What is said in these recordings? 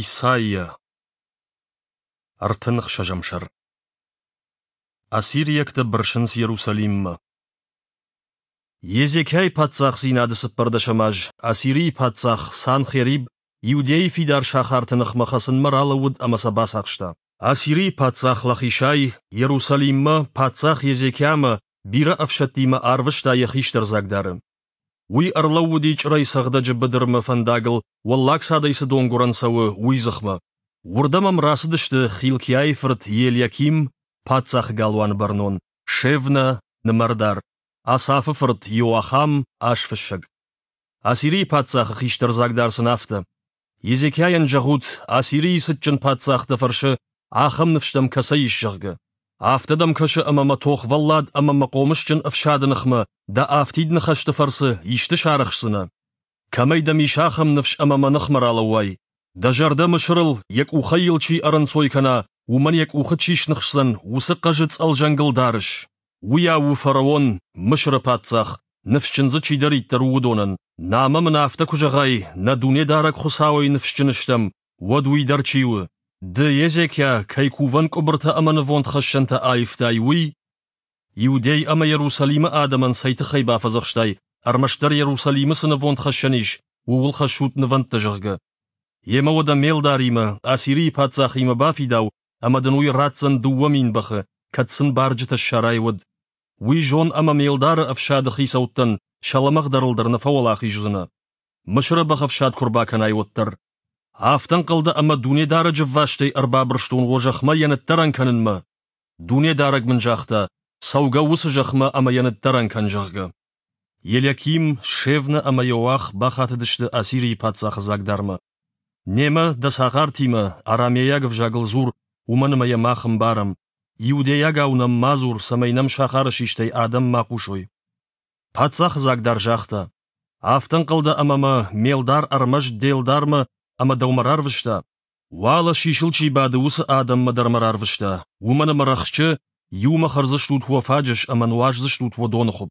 Исайя, 36-ӕм сӕр. Ассириӕгтӕ бырсынц Иерусалиммӕ. Езекиайы паддзахдзинады цыппӕрдӕсӕм аз Ассирийы паддзах Санхериб Иудейы фидар сахарты ныхмӕ хӕцынмӕ ралӕууыд ӕмӕ сӕ бацахста. Ассирийы паддзах Лахишӕй Иерусалиммӕ паддзах Езекиамӕ бирӕ ӕфсӕдтимӕ арвыста йӕ хистӕр дзагдары. Уый ӕрлӕууыди чъырӕй цӕгъдӕджы быдырмӕ фӕндагыл, уӕллаг цадӕй цы донгуырӕн цӕуы, уый дзыхмӕ. Уырдӕм ӕм рацыдысты Хилкиайы фырт Елиаким, паддзахы галуаны бӕрнон, Шевна, нымӕрдар, Асафы фырт Иоахам, азфыссӕг. Ассирийы паддзахы хистӕр дзагдар сын афтӕ: Езекиайӕн зӕгъут, Ассирийы цытджын паддзах дӕ фӕрсы, ахӕм ныфс дӕм кӕцӕй ис, зӕгъгӕ. Афтӕ дӕм кӕсы, ӕмӕ мӕ тохвӕллад ӕмӕ мӕ хъомысджын ӕфсады ныхмӕ дӕ афтид ныхӕсты фӕрцы исты сарӕхсдзынӕ? Кӕмӕй дӕм ис ахӕм ныфс ӕмӕ мӕ ныхмӕ ралӕууай? Дӕ зӕрдӕ Мысырыл, йӕ къухӕй йыл чи ӕрӕнцой кӕна, уымӕн йӕ къухы чи сныхсдзӕн, уыцы хъӕзы цъӕлзӕнгыл дарыс? Уыйау у фараон, Мысыры паддзах, ныфсджын дзы чидӕриддӕр у, уыдонӕн. Намӕ мын афтӕ куы зӕгъай, нӕ Дунедарӕг Хуыцауӕй ныфсджын стӕм, уӕд уый дӕр чи у? Ды, Езекиа, кӕй кувӕн къуыбыртӕ ӕмӕ нывондхӕссӕнтӕ аивтай, уый? Иудей ӕмӕ Иерусалимы адӕмӕн цӕй тыххӕй бафӕдзӕхстай, ӕрмӕстдӕр Иерусалимы цы нывондхӕссӕн ис, ууыл хӕссут нывӕндтӕ, зӕгъгӕ? Йемӕ уӕдӕ ме лдаримӕ, Ассирийы паддзахимӕ бафидау, ӕмӕ дын уый ратдзӕн 2000 бӕхы, кӕд сын барджытӕ ссарай, уӕд. Уый зон ӕмӕ ме лдары ӕфсады хицӕуттӕн сӕ лӕмӕгъдӕрыл дӕр нӕ фӕуӕлахиз уыдзынӕ. Мысыры бӕхӕфсад куы рбакӕнай, уӕддӕр. Афтӕ ӕнхъӕл дӕ ӕмӕ Дунедарӕджы ӕввастӕй ӕрбабырстон уӕ зӕхмӕ йӕ ныддӕрӕн кӕнынмӕ? Дунедарӕг мын загъта, цӕугӕ уыцы зӕхмӕ ӕмӕ йӕ ныддӕрӕн кӕн, зӕгъгӕ. Елиаким, Шевна ӕмӕ Иоах бахатыдысты Ассирийы паддзахы дзагдармӕ. Немӕ, дӕ цагъартимӕ, арамейаг ӕвзагыл дзур, уымӕн ӕмӕ йӕ мах ӕмбарӕм. Иудейагау нӕм ма дзур, цӕмӕй нӕм сахары систӕй адӕм ма хъусой. Паддзахы дзагдар загъта: Афтӕ ӕнхъӕл дӕ ӕмӕ мӕ ме лдар ӕрмӕст де лдармӕ ӕмӕ дӕумӕ рарвыста? Уӕлӕ сисыл чи бады, уыцы адӕммӕ дӕр мӕ рарвыста, уымӕн ӕмӕ рӕхджы иумӕ хӕрдзыстут уӕ фаджыс ӕмӕ нуаздзыстут уӕ доныхуыпп.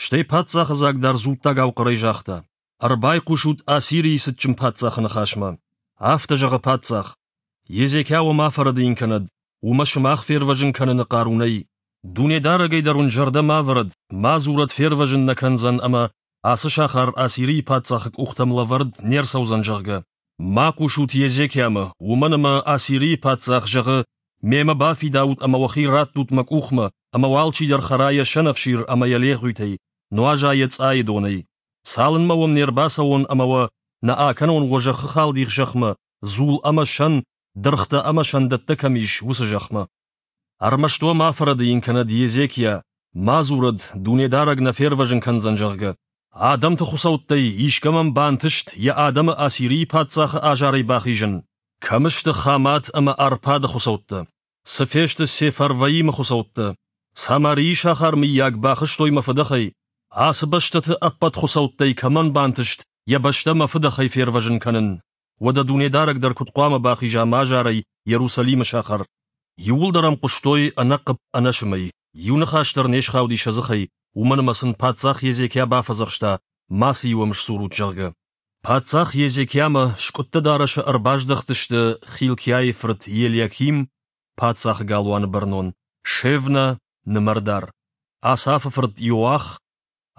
Стӕй паддзахы дзагдар дзуттагау хъӕрӕй загъта: Ӕрбайхъусут Ассирийы цытджын паддзахы ныхасмӕ. Афтӕ зӕгъы паддзах: Езекиа уӕ ма фӕрӕдийын кӕнӕд, уымӕ сымах фервӕзын кӕныны хъару нӕй. Дунедарӕгӕй дӕр уын зӕрдӕ ма вӕрӕд, ма дзурӕд фервӕзын нӕ кӕндзӕн ӕмӕ ацы сахар Ассирийы паддзахы къухтӕм лӕвӕрд не рцӕудзӕн, зӕгъгӕ. Ма хъусут Езекиамӕ, уымӕн ӕмӕ Ассирийы паддзах зӕгъы: Мемӕ бафидаут ӕмӕ уӕхи раттут мӕ къухмӕ, ӕмӕ уӕ алчидӕр хӕра йӕ сӕнӕфсир ӕмӕ йӕ легъуитӕй, нуаза йӕ цъайы донӕй. Цалынмӕ уӕм не рбацӕуон ӕмӕ уӕ нӕ акӕнон уӕ зӕххы халдих зӕхмӕ, дзул ӕмӕ сӕн, дыргътӕ ӕмӕ сӕндӕттӕ кӕм ис, уыцы зӕхмӕ. Ӕрмӕст уӕ ма фӕрӕдийын кӕнӕд Езекиа, ма дзурӕд, Дунедарӕг нӕ фервӕзын кӕндзӕн, зӕгъгӕ. Адӕмты хуыцӕуттӕй искӕмӕн бантыст йӕ адӕмы Ассирийы паддзахы азарӕй бахизын? Кӕм сты Хамат ӕмӕ Арпады хуыцӕуттӕ? Цы фесты Сефарваимы хуыцӕуттӕ? Самарийы сахар, мыййаг, бахызтой мӕ фыдӕхӕй? Ацы бӕстӕты ӕппӕт хуыцӕуттӕй кӕмӕн бантыст йӕ бӕстӕ мӕ фыдӕхӕй фервӕзын кӕнын? Уӕдӕ Дунедарӕг дӕр куыд хъуамӕ бахиза мӕ азарӕй Иерусалимы сахар? Иууылдӕр ӕм хъуыстой ӕнӕхъыпп ӕнӕсымӕй, иу ныхас дӕр не схауди сӕ дзыхӕй, уымӕн ӕмӕ сын паддзах Езекиа бафӕдзӕхста, мацы-иу ӕм сдзурут, зӕгъгӕ. Паддзах Езекиамӕ скъуыдтӕ дарӕсы ӕрбаздӕхтысты Хилкиайы фырт Елиаким, паддзахы галуаны бӕрнон, Шевна, нымӕрдар, Асафы фырт Иоах,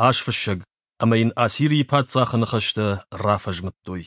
азфыссӕг, ӕмӕ йын Ассирийы паддзахы ныхӕстӕ рафӕзмыдтой.